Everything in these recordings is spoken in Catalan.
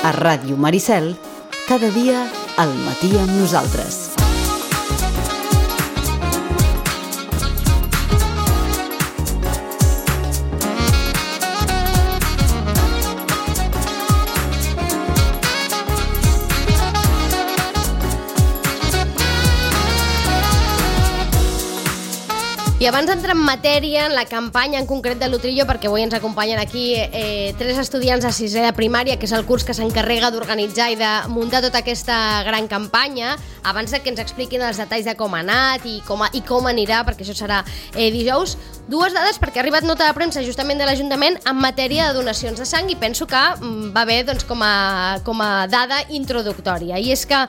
A Ràdio Maricel, cada dia al matí amb nosaltres. I abans d'entrar en matèria, en la campanya en concret de l'Utrillo, perquè avui ens acompanyen aquí 3 estudiants de 6è de primària, que és el curs que s'encarrega d'organitzar i de muntar tota aquesta gran campanya, abans de que ens expliquin els detalls de com ha anat i com anirà, perquè això serà dijous, 2 dades, perquè ha arribat nota de premsa justament de l'Ajuntament en matèria de donacions de sang, i penso que va bé doncs, com a dada introductòria. I és que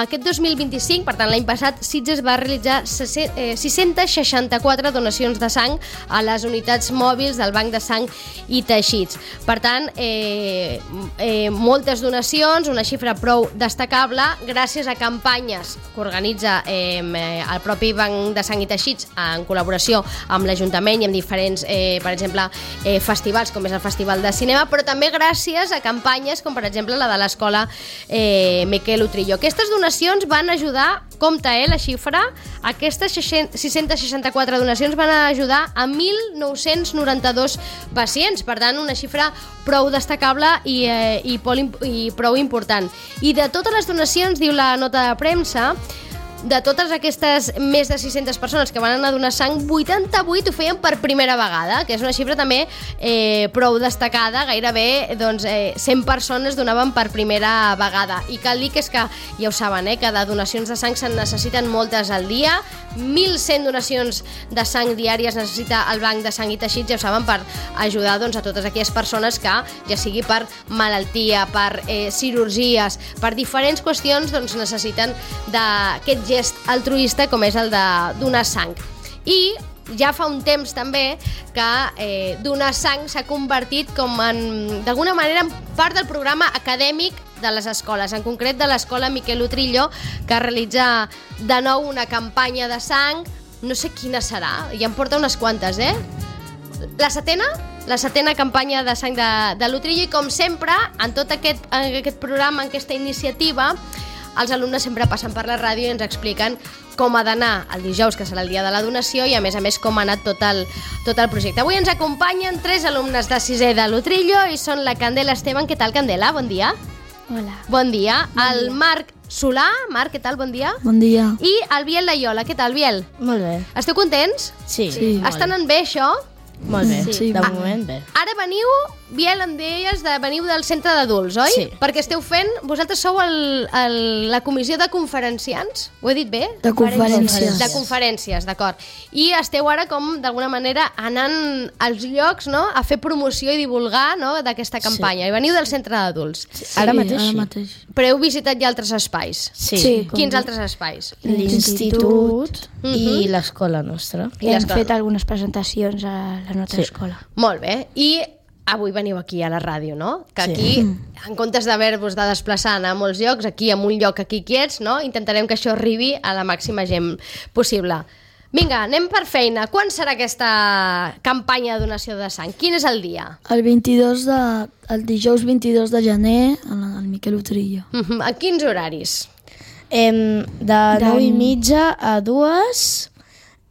aquest 2025, per tant l'any passat, Sitges va realitzar 664 donacions de sang a les unitats mòbils del Banc de Sang i Teixits. Per tant, moltes donacions, una xifra prou destacable, gràcies a campanyes que organitza el propi Banc de Sang i Teixits en col·laboració amb l'Ajuntament i amb diferents, per exemple, festivals, com és el Festival de Cinema, però també gràcies a campanyes com, per exemple, la de l'Escola Miquel Utrillo. Aquestes donacions van ajudar, compte la xifra, aquestes 664 donacions van ajudar a 1.992 pacients, per tant una xifra prou destacable i prou important. I de totes les donacions, diu la nota de premsa, de totes aquestes més de 600 persones que van anar a donar sang, 88 ho feien per primera vegada, que és una xifra també prou destacada, gairebé 100 persones donaven per primera vegada. I cal dir que és que, ja ho saben, que de donacions de sang se'n necessiten moltes al dia, 1.100 donacions de sang diàries necessita el Banc de Sang i Teixits, ja ho saben, per ajudar a totes aquelles persones que, ja sigui per malaltia, per cirurgies, per diferents qüestions, necessiten d'aquest gest altruista com és el de donar sang. I ja fa un temps també que donar sang s'ha convertit com en, d'alguna manera, en part del programa acadèmic de les escoles, en concret de l'Escola Miquel Utrillo, que realitza de nou una campanya de sang, no sé quina serà, ja en porta unes quantes, La setena campanya de sang de l'Utrillo, i com sempre, en tot aquest programa, en aquesta iniciativa, els alumnes sempre passen per la ràdio i ens expliquen com ha d'anar el dijous, que serà el dia de la donació, i a més com ha anat tot el projecte. Avui ens acompanyen 3 alumnes de 6è de l'Utrillo i són la Candela Esteban. Què tal, Candela? Bon dia. Hola. Bon dia. El Marc Solà. Marc, què tal? Bon dia. Bon dia. I el Biel Laiola. Què tal, Biel? Molt bé. Esteu contents? Sí. Estan en bé, això? Molt bé, Sí. de moment bé. Ara veniu, Biel, em deies, veniu del centre d'adults, oi? Sí. Perquè esteu fent, vosaltres sou la comissió de conferenciants, ho he dit bé? De conferències. De conferències, d'acord. I esteu ara com, d'alguna manera, anant als llocs, no?, a fer promoció i divulgar, no?, d'aquesta campanya. I veniu del centre d'adults. Ara mateix sí. mateix. Però heu visitat ja altres espais? Sí. Quins altres espais? L'Institut i l'escola nostra. I hem fet algunes presentacions a la nostra escola. Molt bé. I avui veniu aquí a la ràdio, no? Que aquí, en comptes d'haver-vos de desplaçar a molts llocs, aquí, en un lloc aquí quiets, no? Intentarem que això arribi a la màxima gent possible. Vinga, anem per feina. Quan serà aquesta campanya de donació de sang? Quin és el dia? El dijous 22 de gener, al Miquel Utrillo. A quins horaris? De 9:30 a 2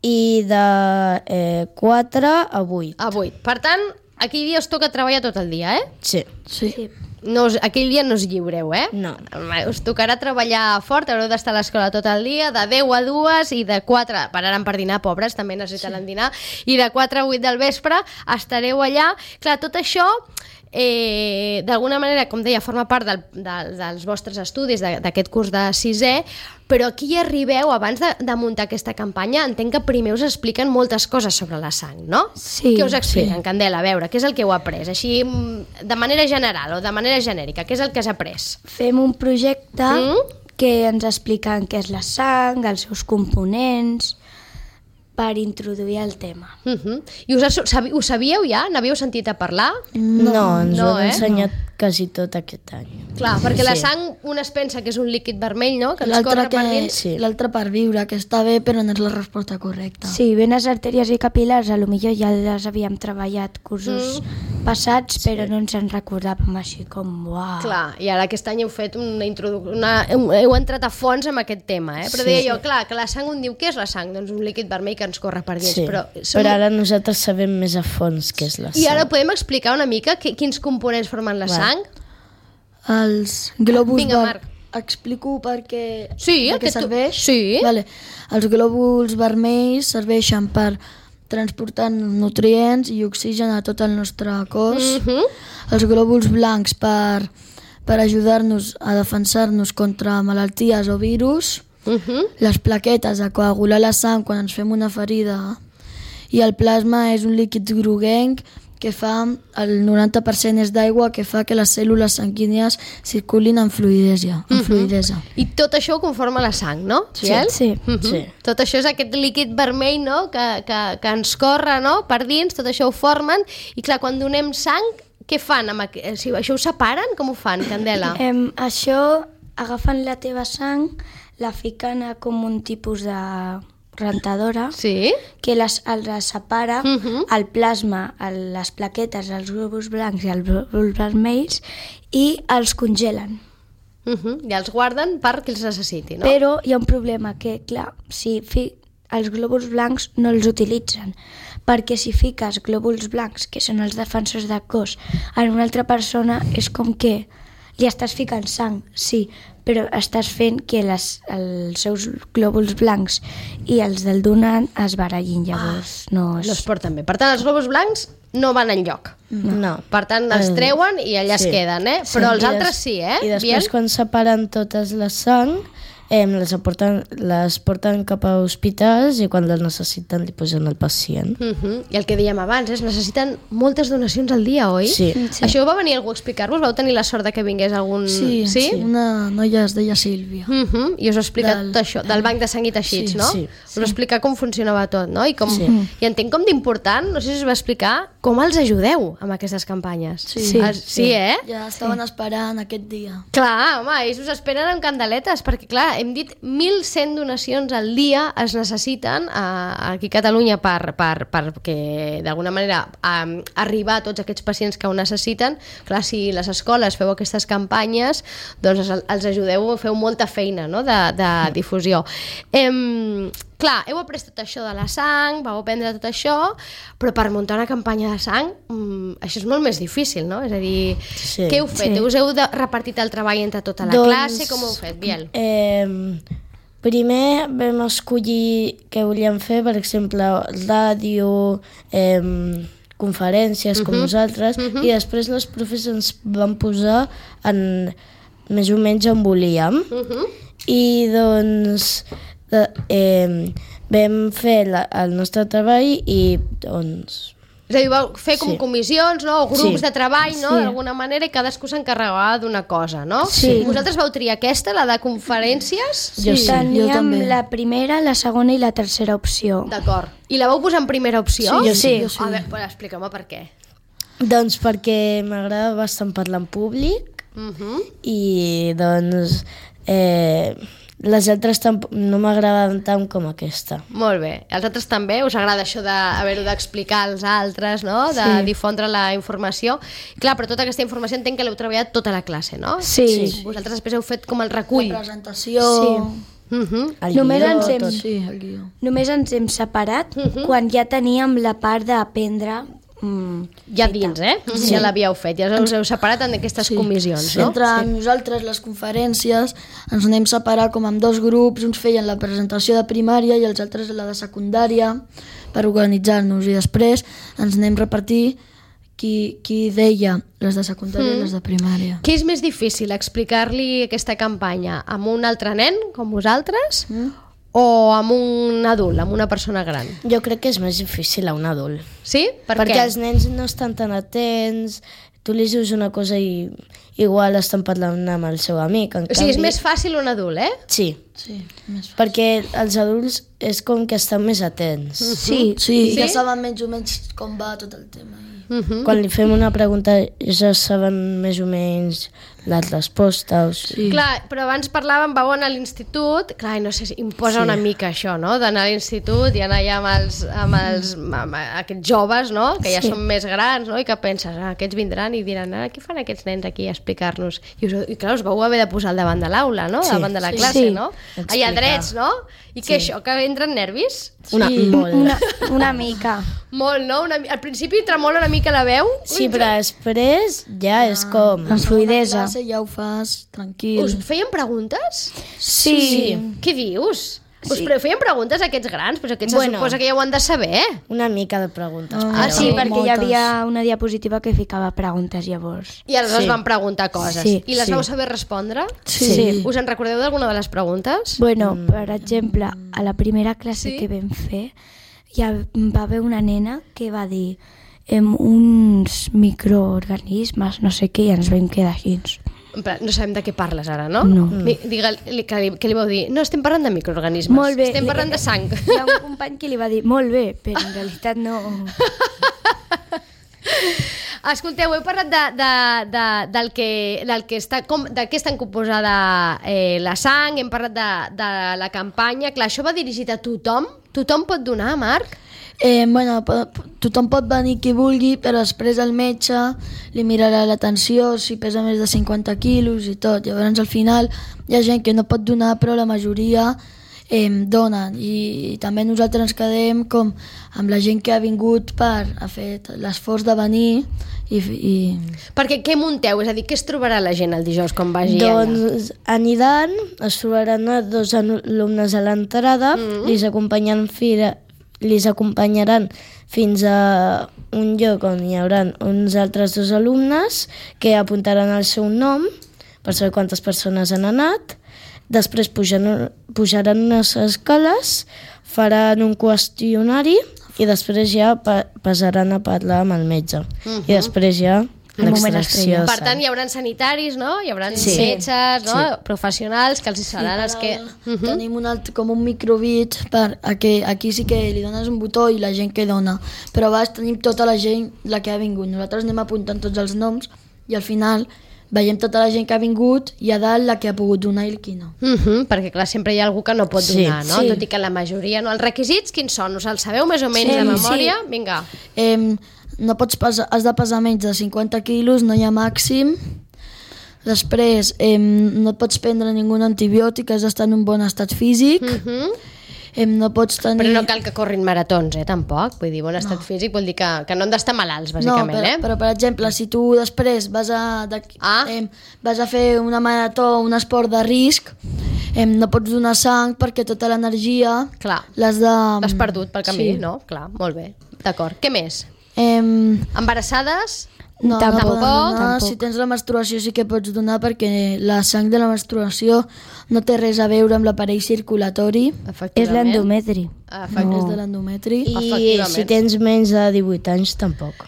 i de 4 a 8. A 8. Per tant, aquell dia us toca treballar tot el dia, Sí. Sí. Aquell dia no us lliureu, No. Us tocarà treballar fort, haureu d'estar a l'escola tot el dia, de 10 a 2 i de 4, pararan per dinar, pobres, també necessitaran dinar, i de 4 a 8 del vespre estareu allà. Clar, tot això d'alguna manera, com deia, forma part dels vostres estudis d'aquest curs de 6è, però aquí hi arribeu, abans de muntar aquesta campanya, entenc que primer us expliquen moltes coses sobre la sang, no? Sí. Què us expliquen, Candela? A veure, què és el que heu après? Així, de manera general o de manera genèrica, què és el que has après? Fem un projecte que ens expliquen què és la sang, els seus components, per introduir el tema. I ho sabíeu ja? N'havíeu sentit a parlar? No, ens ho han ensenyat quasi tot aquest any. Clar, perquè la sang un es pensa que és un líquid vermell, no? Que ens corre per dins. L'altre per viure, que està bé, però no és la resposta correcta. Sí, venes artèries i capil·lars, a lo millor ja les havíem treballat cursos passats, però no ens en recordàvem així com, uau. Clar, i ara aquest any heu fet heu entrat a fons amb aquest tema, però deia jo, clar, que la sang un diu, què és la sang? Doncs un líquid vermell que ens corre per dins. Però ara nosaltres sabem més a fons què és la sang. I ara podem explicar una mica quins components formen la sang? Els glòbuls... Vinga, Marc. Explico per què serveix? Sí. Vale. Els glòbuls vermells serveixen per transportar nutrients i oxigen a tot el nostre cos. Els glòbuls blancs per ajudar-nos a defensar-nos contra malalties o virus. Les plaquetes a coagular la sang quan ens fem una ferida. I el plasma és un líquid groguenc que fa, el 90% és d'aigua, que fa que les cèl·lules sanguínies circulin amb fluïdesa. I tot això ho conforma la sang, no? Sí. Tot això és aquest líquid vermell, no? que ens corre, no? Per dins, tot això ho formen. I clar, quan donem sang, què fan? Això ho separen? Com ho fan, Candela? Això, agafen la teva sang, la fiquen com un tipus de rentadora, que les separa el plasma, les plaquetes, els glòbuls blancs i els glòbuls vermells, i els congelen. I els guarden perquè els necessiti, no? Però hi ha un problema, que clar, si els glòbuls blancs no els utilitzen, perquè si fiques glòbuls blancs, que són els defensors del cos, en una altra persona, és com que li estàs ficant sang, sí, però estàs fent que els seus glòbuls blancs i els del donant es barallin, llavors no es porten bé. Per tant, els glòbuls blancs no van enlloc. No. Per tant, els treuen i allà es queden, però els altres sí, I després, quan separen totes la sang, les porten cap a hospitals i quan les necessiten li posen al pacient. I el que dèiem abans, necessiten moltes donacions al dia, oi? Sí. Això va venir algú a explicar-vos? Vau tenir la sort de que vingués algun... Sí, una noia es deia Sílvia. I us ha explicat tot això, del banc de sang i teixits, no? Us va explicar com funcionava tot, no? I entenc com d'important, no sé si us va explicar, com els ajudeu amb aquestes campanyes. Sí, Ja estaven esperant aquest dia. Clar, home, ells us esperen amb candeletes, perquè clar, hem dit 1.100 donacions al dia es necessiten aquí a Catalunya perquè d'alguna manera arribar a tots aquests pacients que ho necessiten. Clar, si les escoles feu aquestes campanyes, doncs els ajudeu, feu molta feina, no? de difusió. Clar, heu après tot això de la sang, vau aprendre tot això, però per muntar una campanya de sang això és molt més difícil, no? És a dir, què heu fet? Us heu repartit el treball entre tota la classe? Com ho heu fet, Biel? Primer vam escollir què volíem fer, per exemple, ràdio, conferències com nosaltres, i després les profes ens van posar més o menys on volíem. I doncs vam fer el nostre treball i doncs... És a dir, vau fer com comissions, no? O grups de treball, no? D'alguna manera, i cadascú s'encarregava d'una cosa, no? Vosaltres vau triar aquesta, la de conferències? Jo teníem la primera, la segona i la tercera opció. D'acord. I la vau posar en primera opció? Sí. A veure, explica-me per què. Doncs perquè m'agrada bastant parlar en públic i doncs les altres no m'agraden tant com aquesta. Molt bé. Els altres també? Us agrada això d'haver-ho d'explicar als altres, no? De difondre la informació? Clar, però tota aquesta informació entenc que l'heu treballat tota la classe, no? Sí. Vosaltres després heu fet com el recull. La presentació... Només ens hem separat quan ja teníem la part d'aprendre ja dins, ja l'havíeu fet, ja us heu separat en aquestes comissions, no? Entre nosaltres, les conferències, ens anem separar com en dos grups, uns feien la presentació de primària i els altres la de secundària, per organitzar-nos, i després ens anem repartir qui deia les de secundària i les de primària. Què és més difícil, explicar-li aquesta campanya amb un altre nen, com vosaltres, o amb un adult, amb una persona gran? Jo crec que és més difícil a un adult. Sí? Perquè els nens no estan tan atents, tu li dius una cosa i igual estan parlant amb el seu amic. O sigui, és més fàcil un adult, Sí, perquè els adults és com que estan més atents. Sí, ja saben menys o menys com va tot el tema. Quan li fem una pregunta ja saben més o menys la resposta. O sigui. Clar, però abans parlàvem, vau anar a l'institut, clar, no sé si imposa una mica això, no?, d'anar a l'institut i anar allà amb aquests joves, no?, que ja són més grans, no?, i que penses, aquests vindran i diran, què fan aquests nens aquí a explicar-nos? I clar, us vau haver de posar al davant de l'aula, no?, davant de la classe, no? Allà drets, no? I què això, que entren nervis? Una mica. Molt, no? Al principi tremola una mica la veu. Sí, però després ja és com... Amb fluidesa. Ja ho fas, tranquil. Us feien preguntes? Sí. Què dius? Us feien preguntes a aquests grans? Però aquests se suposa que ja ho han de saber. Una mica de preguntes. Sí, perquè hi havia una diapositiva que ficava preguntes llavors. I aleshores van preguntar coses. Sí. I les vau saber respondre? Sí. Us en recordeu d'alguna de les preguntes? Bueno, per exemple, a la primera classe que vam fer, ja va haver una nena que va dir uns microorganismes, no sé què, i ens vam quedar així. No sabem de què parles ara, no? No. Què li vau dir? No, estem parlant de microorganismes. Molt bé. Estem parlant de sang. Hi ha un company que li va dir, molt bé, però en realitat no... Escolteu, heu parlat de què estan composada la sang, hem parlat de la campanya. Clar, això va dirigit a tothom? Tothom pot donar, Marc? Tothom pot venir qui vulgui, però després el metge li mirarà la tensió, si pesa més de 50 quilos i tot. Llavors al final hi ha gent que no pot donar, però la majoria donen, i també nosaltres ens quedem com amb la gent que ha vingut per ha fet l'esforç de venir i... Perquè què munteu? És a dir, què es trobarà la gent el dijous quan vagi allà? Doncs aniran, es trobaran 2 alumnes a l'entrada, les acompanyaran fins a un lloc on hi haurà uns altres 2 alumnes que apuntaran el seu nom per saber quantes persones han anat. Després pujaran unes escales, faran un qüestionari i després ja passaran a parlar amb el metge. I després ja l'extracció. Per tant, hi haurà sanitaris, no? Hi haurà metges, no? Professionals que els seran els que... Tenim com un microbit per aquí sí que li dones un botó i la gent que dona, però a vegades tenim tota la gent la que ha vingut. Nosaltres anem apuntant tots els noms i al final veiem tota la gent que ha vingut i a dalt la que ha pogut donar i el qui no. Perquè clar, sempre hi ha algú que no pot donar, no? Tot i que la majoria no. Els requisits quins són? Us els sabeu més o menys de memòria? Vinga. No pots has de pesar menys de 50 quilos, no hi ha màxim. Després no et pots prendre ningú antibiòtic, has d'estar en un bon estat físic. No pots tenir... Però no cal que corrin maratons, tampoc. Vull dir, bon estat físic vol dir que no han d'estar malalts, bàsicament. Però per exemple, si tu després vas a fer una marató, un esport de risc, no pots donar sang perquè tota l'energia l'has perdut pel camí, no? Clar, molt bé, d'acord. Què més? Embarassades? No, tampoc. Si tens la menstruació sí que pots donar perquè la sang de la menstruació no té res a veure amb l'aparell circulatori. És l'endometri. És de l'endometri. I si tens menys de 18 anys, tampoc.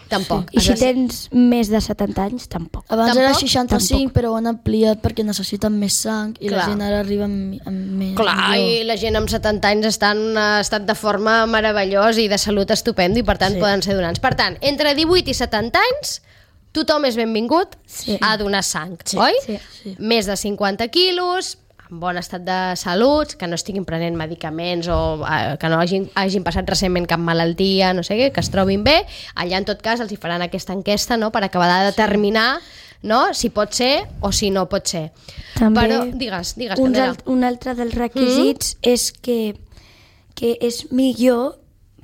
I si tens més de 70 anys, tampoc. Abans era 65, però ho han ampliat perquè necessiten més sang i la gent ara arriba amb més. Clar, i la gent amb 70 anys està en un estat de forma meravellós i de salut estupendo i per tant poden ser donants. Per tant, entre 18 i 70 anys tothom és benvingut a donar sang, oi? Sí. Més de 50 quilos, en bon estat de salut, que no estiguin prenent medicaments o que no hagin passat recentment cap malaltia, no sé què, que es trobin bé. Allà, en tot cas, els hi faran aquesta enquesta, no?, per acabar de determinar, no?, si pot ser o si no pot ser. També però, digues, Candela. Un altre dels requisits és que és millor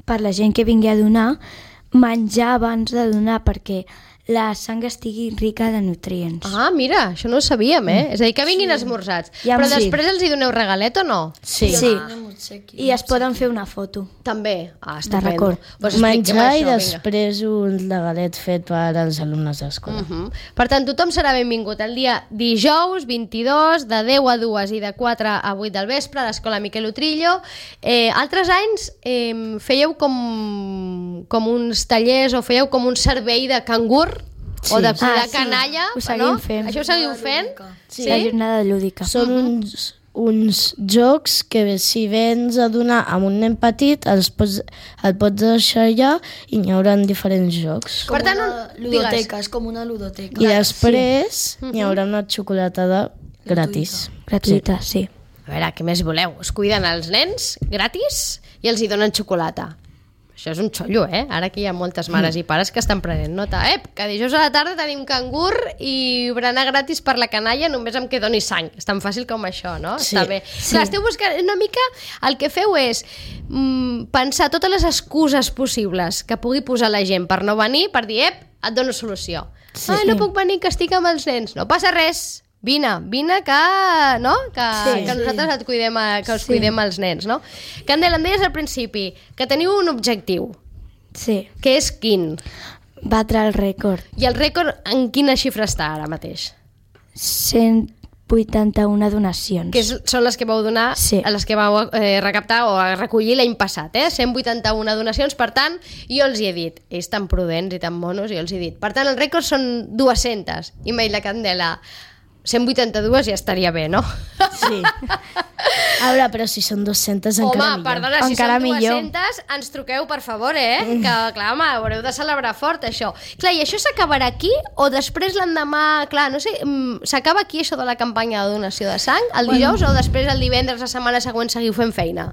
per la gent que vingui a donar menjar abans de donar, perquè la sang estigui rica de nutrients. Ah, mira, això no ho sabíem, És a dir, que vinguin esmorzats. Però després els hi doneu regalet o no? Sí. I es poden fer una foto. També? De record. Menjar i després un regalet fet per als alumnes d'escola. Per tant, tothom serà benvingut el dia dijous 22 de 10 a 2 i de 4 a 8 del vespre a l'Escola Miquel Utrillo. Altres anys fèieu com uns tallers o fèieu com un servei de cangur o de cuidar canalla. Ho seguim fent. Això ho seguiu fent? Sí. La jornada lúdica. Són uns uns jocs que si vens a donar amb un nen petit el pots deixar allà i n'hi haurà diferents jocs. Per tant, ludoteca, és com una ludoteca. I després n'hi haurà una xocolatada gratis. Gratuïta, sí. A veure, què més voleu? Es cuiden els nens gratis i els hi donen xocolata. Això és un xollo, Ara aquí hi ha moltes mares i pares que estan prenent nota. Que dijous a la tarda tenim cangur i berenar gratis per la canalla només amb que doni sang. És tan fàcil com això, no? Sí. Està bé. Sí. Clar, esteu buscant una mica... El que feu és pensar totes les excuses possibles que pugui posar la gent per no venir, per dir, et dono solució. Sí. No puc venir, que estic amb els nens. No passa res. Vine, que nosaltres et cuidem, que us cuidem els nens, no? Candela, em deies al principi que teniu un objectiu. Sí. Que és quin? Batre el rècord. I el rècord en quina xifra està ara mateix? 181 donacions. Que són les que vau donar, Sí. les que vau recaptar o recollir l'any passat, 181 donacions. Per tant, jo els hi he dit, ells tan prudents i tan monos, jo els hi he dit. Per tant, el rècord són 200. I m'ha dit la Candela, 182 ja estaria bé, no? Sí. A veure, però si són 200 encara millor. Home, perdona, si Encara són millor. 200, ens truqueu, per favor, Que, clar, home, haureu de celebrar fort, això. Clar, i això s'acabarà aquí o després l'endemà... Clar, no sé, s'acaba aquí això de la campanya de donació de sang, el dijous, o després el divendres, la setmana següent, seguiu fent feina?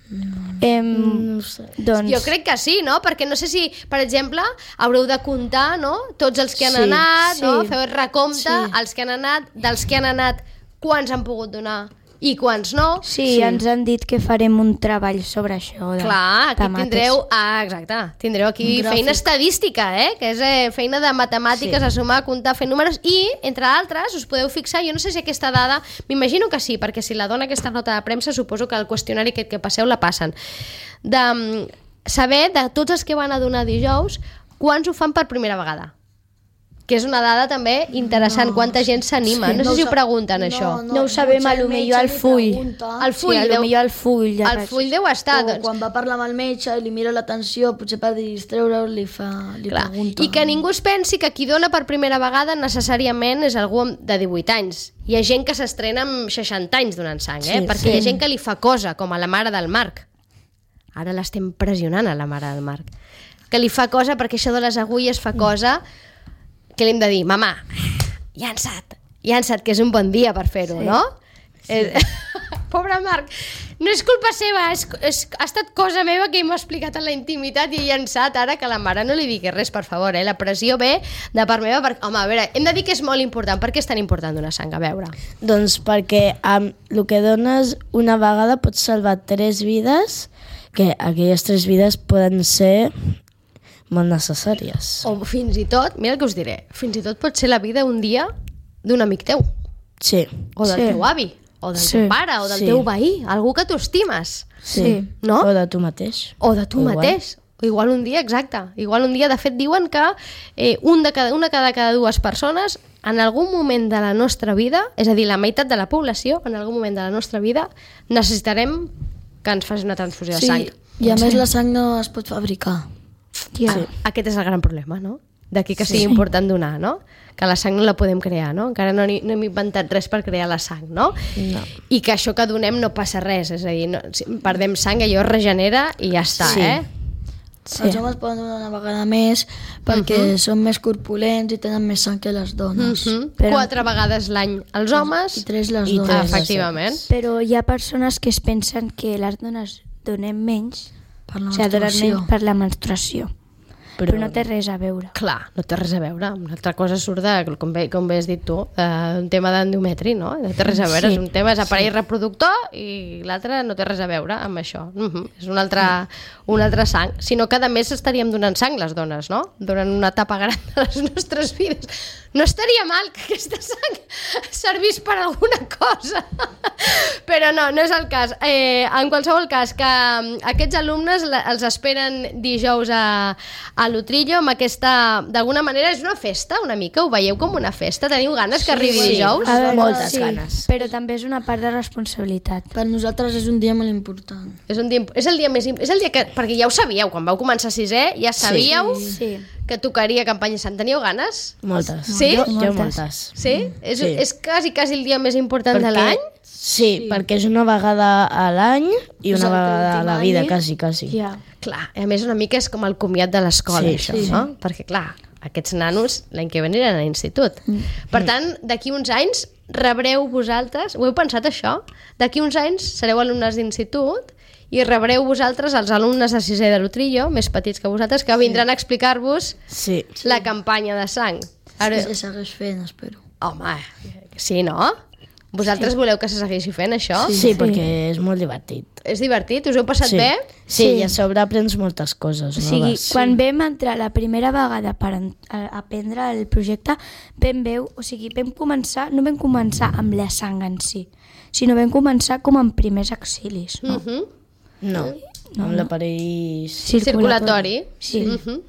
No sé. Doncs, Jo crec que sí, no? Perquè no sé si, per exemple, haureu de comptar, no? Tots els que han anat, no? Feu el recompte, els que han anat, dels que han anat, quants han pogut donar i quants no. sí, ens han dit que farem un treball sobre això. Clar, aquí mates. tindreu... exacte, tindreu aquí feina estadística, que és feina de matemàtiques, a sumar, comptar, fer números, i, entre altres, us podeu fixar, jo no sé si aquesta dada, m'imagino que sí, perquè si la dona aquesta nota de premsa, suposo que el qüestionari que passeu la passen, de saber de tots els que van a donar dijous, quants ho fan per primera vegada. Que és una dada també interessant, quanta gent s'anima. No sé si ho pregunten, això. No ho sabem, a lo millor al full. El full, Sí, a lo millor al full. el full deu estar, O doncs. quan va parlar amb el metge i li mira l'atenció, potser per distreure-ho li Clar. pregunta. I que ningú es pensi que qui dona per primera vegada necessàriament és algú de 18 anys. Hi ha gent que s'estrena amb 60 anys donant sang, perquè hi ha gent que li fa cosa, com a la mare del Marc. Ara l'estem pressionant a la mare del Marc. Que li fa cosa perquè això de les agulles fa cosa que li hem de dir, mama, llança't, que és un bon dia per fer-ho, no? Pobre Marc, no és culpa seva, ha estat cosa meva que m'ha explicat en la intimitat i he llançat ara que la mare no li digui res, per favor, la pressió ve de part meva, home, a veure, hem de dir que és molt important. Per què és tan important donar sang? A veure. Doncs perquè amb el que dones una vegada pots salvar 3 vides, que aquelles 3 vides poden ser molt necessàries. O fins i tot, mira el que us diré, fins i tot pot ser la vida un dia d'un amic teu, Sí. o del teu avi, o del teu pare, o del teu veí, algú que tu estimes, Sí. no? O de tu mateix. O de tu mateix. O igual un dia, exacte. Igual un dia, de fet, diuen que una cada 2 persones en algun moment de la nostra vida, és a dir, la meitat de la població, en algun moment de la nostra vida, necessitarem que ens faci una transfusió de sang. I a més la sang no es pot fabricar. Aquest és el gran problema, no? D'aquí que sigui important donar, no? Que la sang no la podem crear, no? Encara no hem inventat res per crear la sang, no? I que això que donem no passa res, és a dir, si perdem sang, allò es regenera i ja està, Els homes poden donar una vegada més perquè són més corpulents i tenen més sang que les dones. 4 vegades l'any els homes I 3 les I dones. tres. efectivament. Però hi ha persones que es pensen que les dones donem menys, Per la o sigui, donen menstruació. menys per la menstruació. Però no té res a veure. Clar, no té res a veure. Una altra cosa surt de, com bé has dit tu, un tema d'endometri, no? No té res a veure. És un tema, és aparell reproductor i l'altre no té res a veure amb això. És un altre sang. Sinó que, a més, estaríem donant sang, les dones, no? Durant una etapa gran de les nostres vides. No estaria mal que aquesta sang servís per alguna cosa. Però no és el cas. En qualsevol cas, que aquests alumnes els esperen dijous a l'Utrillo amb aquesta... D'alguna manera és una festa, una mica? Ho veieu com una festa? Teniu ganes que arribi dijous? A veure, Moltes ganes. Però també és una part de responsabilitat. Per nosaltres és un dia molt important. És el dia més... És el dia que... Perquè ja ho sabíeu, quan vau començar 6è, ja sabíeu que tocaria campanya Sant. Teníeu ganes? Moltes. Sí? Jo moltes. Sí? És, Sí. és quasi el dia més important de l'any? Sí, perquè és una vegada a l'any i una vegada a la vida, any. quasi. Ja. Clar, a més una mica és com el comiat de l'escola, Sí, això, sí. no? Perquè, clar, aquests nanos l'any que ve aniran a l'institut. Per tant, d'aquí uns anys rebreu vosaltres, ho heu pensat això? D'aquí uns anys sereu alumnes d'institut i rebreu vosaltres els alumnes de sisè de l'Utrillo, més petits que vosaltres, que vindran a explicar-vos Sí. la campanya de sang. Ara, Se segueix fent, espero. home, sí, no? Vosaltres voleu que se segueixi fent això? Sí, perquè és molt divertit. És divertit? Us heu passat Sí. bé? Sí, i a sobre aprens moltes coses O sigui, noves. quan vam entrar la primera vegada per aprendre el projecte, vam començar, no vam començar amb la sang en si, sinó vam començar com amb primers auxilis, no? No, amb l'aparell... Circulatori. Sí. Mhm.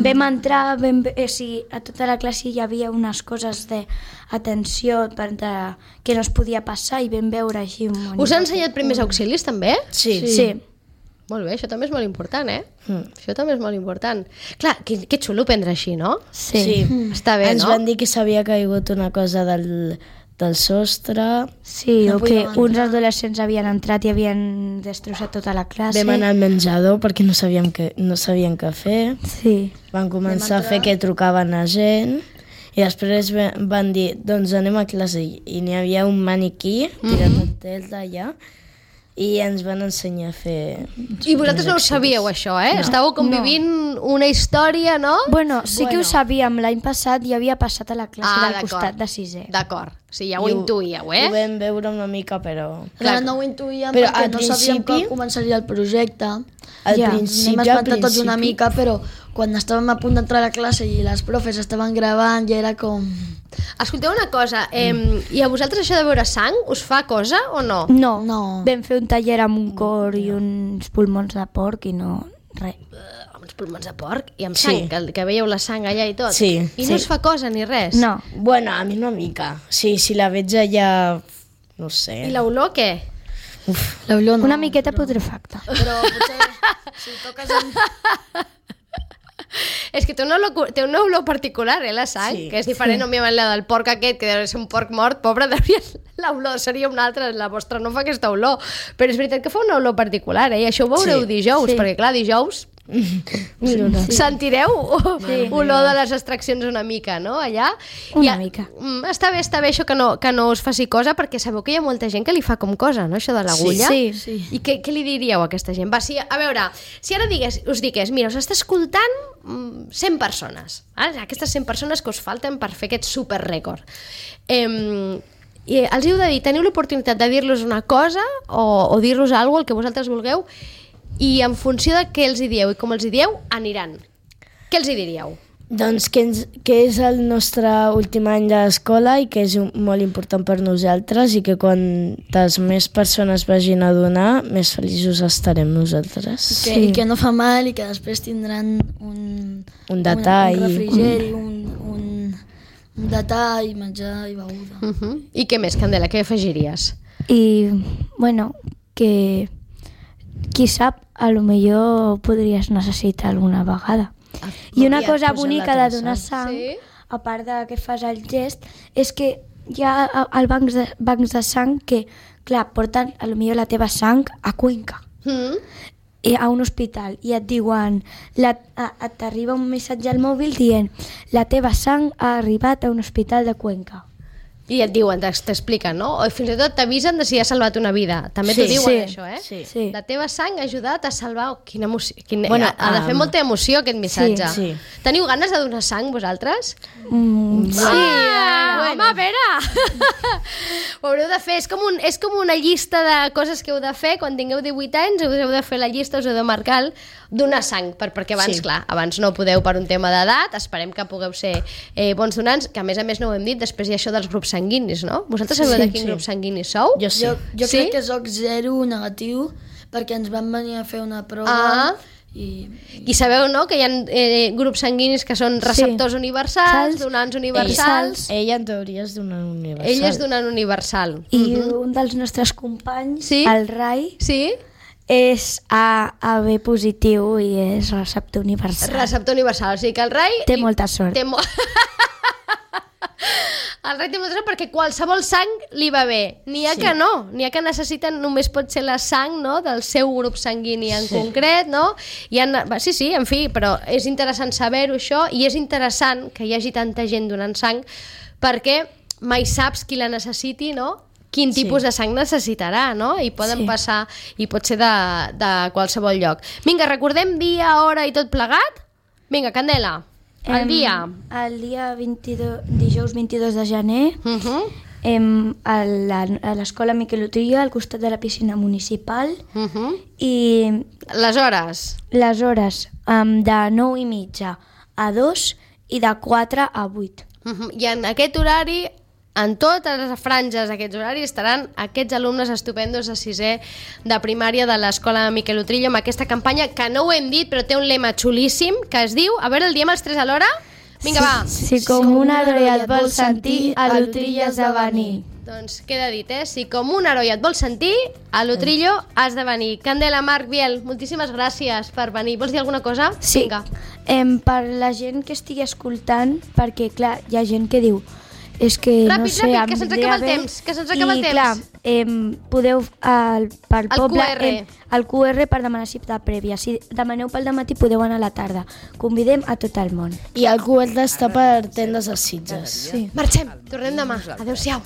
Vam entrar, a tota la classe hi havia unes coses d'atenció que no es podia passar i vam veure així un monitor. Us ha ensenyat primers auxilis, també? Sí. Molt bé, això també és molt important, eh? Això també és molt important. Clar, que xulo prendre així, no? Sí. Està bé, Ens no? van dir que s'havia caigut una cosa del sostre. Sí, No o que podíem uns adolescents havien entrat i havien destrossat tota la classe. Vam anar al menjador perquè no sabíem què fer. Sí. Van començar a fer que trucaven a gent i després van dir, doncs anem a classe. I n'hi havia un maniquí tirat al tel d'allà i ens van ensenyar a fer... I vosaltres no ho sabíeu, això, eh? Estàveu convivint una història, no? Bueno, sí que ho sabíem, l'any passat ja havia passat a la classe del d'acord. costat de sisè. D'acord. Sí, ja ho intuïeu, eh? Ho vam veure una mica, però... Clar, no ho intuïem Però perquè al no sabíem principi- que començaria el projecte. Al Ja, principi, Anem espantar tots una mica, però quan estàvem a punt d'entrar a la classe i les profes estaven gravant ja era com... Escolteu una cosa, i a vosaltres això de veure sang us fa cosa o no? No, No. vam fer un taller amb un cor i uns pulmons de porc i no... res. Amb uns pulmons de porc i amb sang, que veieu la sang allà i tot. Sí, I sí. no us fa cosa ni res? No. Bueno, a mi una mica. Sí, si la veig allà... No sé. I l'olor què? L'olor no. Una miqueta putrefacta. Però potser si toques amb... És que té una olor particular, la sang, Sí, que és diferent, òbviament, la del porc aquest, que deu ser un porc mort, pobre, l'olor seria una altra, la vostra no fa aquesta olor, però és veritat que fa una olor particular, i això ho veureu dijous, perquè clar, dijous sentireu olor de les extraccions una mica, no? Allà. Una mica. Està bé això que no us faci cosa, perquè sabeu que hi ha molta gent que li fa com cosa, no? Això de l'agulla. Sí. I què li diríeu a aquesta gent? Va, a veure, si ara us digués, mira, us està escoltant 100 persones, aquestes 100 persones que us falten per fer aquest superrècord. I els heu de dir, teniu l'oportunitat de dir-los una cosa o dir-los alguna cosa, el que vosaltres vulgueu, i en funció de què els hi dieu i com els hi dieu, aniran. Què els hi diríeu? Doncs que és el nostre últim any d'escola i que és molt important per nosaltres i que quantes més persones vagin a donar, més feliços estarem nosaltres. I que no fa mal i que després tindran un detall. un refrigeri, un detall, menjar i beguda. I què més, Candela, què afegiries? I, bueno, que qui sap, a lo millor podries necessitar alguna vegada. I una cosa posar bonica la de donar sang. sang, Sí. a part de que fas el gest, és que hi ha al bancs de sang que, clar, porten a lo millor la teva sang a Cuenca, a un hospital, i et diuen, t'arriba un missatge al mòbil dient la teva sang ha arribat a un hospital de Cuenca. I et diuen, t'expliquen, no? O fins i tot t'avisen de si ha salvat una vida. També t'ho diuen, això, eh? Sí. La teva sang ha ajudat a salvar... Oh, quina emoció. Bueno, ha de fer molta emoció, aquest missatge. Sí. Teniu ganes de donar sang, vosaltres? Sí. Home, a veure! Ho haureu de fer. És com una llista de coses que heu de fer. Quan tingueu 18 anys us heu de fer la llista, us heu de marcar donar sang, perquè abans, clar, abans no podeu per un tema d'edat, esperem que pugueu ser bons donants, que a més no ho hem dit, després hi ha això dels grups sanguinis, no? Vosaltres sabeu de quin grup sanguini sou? Jo sí. Jo Sí? crec que soc 0 negatiu perquè ens van venir a fer una prova I sabeu, no?, que hi ha grups sanguinis que són receptors universals, donants universals. Ella en teoria és donant universal. Ell és donant universal. I un dels nostres companys, Sí? el Rai, Sí? És AB positiu i és receptor universal. Receptor universal, o sigui que el rei... Té molta sort. El rei té molta sort perquè qualsevol sang li va bé. N'hi ha que no, n'hi ha que necessiten, només pot ser la sang, no?, del seu grup sanguini en concret, no? Sí, en fi, però és interessant saber-ho això i és interessant que hi hagi tanta gent donant sang perquè mai saps qui la necessiti, no?, quin tipus de sang necessitarà, no? I poden passar, i pot ser de qualsevol lloc. Vinga, recordem dia, hora i tot plegat? Vinga, Candela. El dia. El dia dijous 22 de gener, a l'escola Miquel Utria, al costat de la piscina municipal, i les hores? Les hores de 9:30 a 2 i de 4 a 8. I en aquest horari, en totes les franges d'aquests horaris, estaran aquests alumnes estupendos de 6è de primària de l'escola Miquel Utrillo amb aquesta campanya que no ho hem dit però té un lema xulíssim que es diu, a veure, el diem els 3 alhora? Vinga, va! Si com un heroi et vol sentir, a l'Utrillo has de venir. Doncs queda dit, Si com un heroi et vol sentir, a l'Utrillo has de venir. Candela, Marc, Biel, moltíssimes gràcies per venir. Vols dir alguna cosa? Sí. Vinga. Per la gent que estigui escoltant, perquè, clar, hi ha gent que diu és que ràpid, no sé, ràpid, que se'ns acaba el temps, que se'ns acaba el temps. I clar, podeu pel poble QR. el QR per demanar cita prèvia. Si demaneu pel dematí podeu anar a la tarda. Convidem a tot el món. I el QR està per tendes a Sitges. Sí. Marxem, tornem demà. Adéu-siau.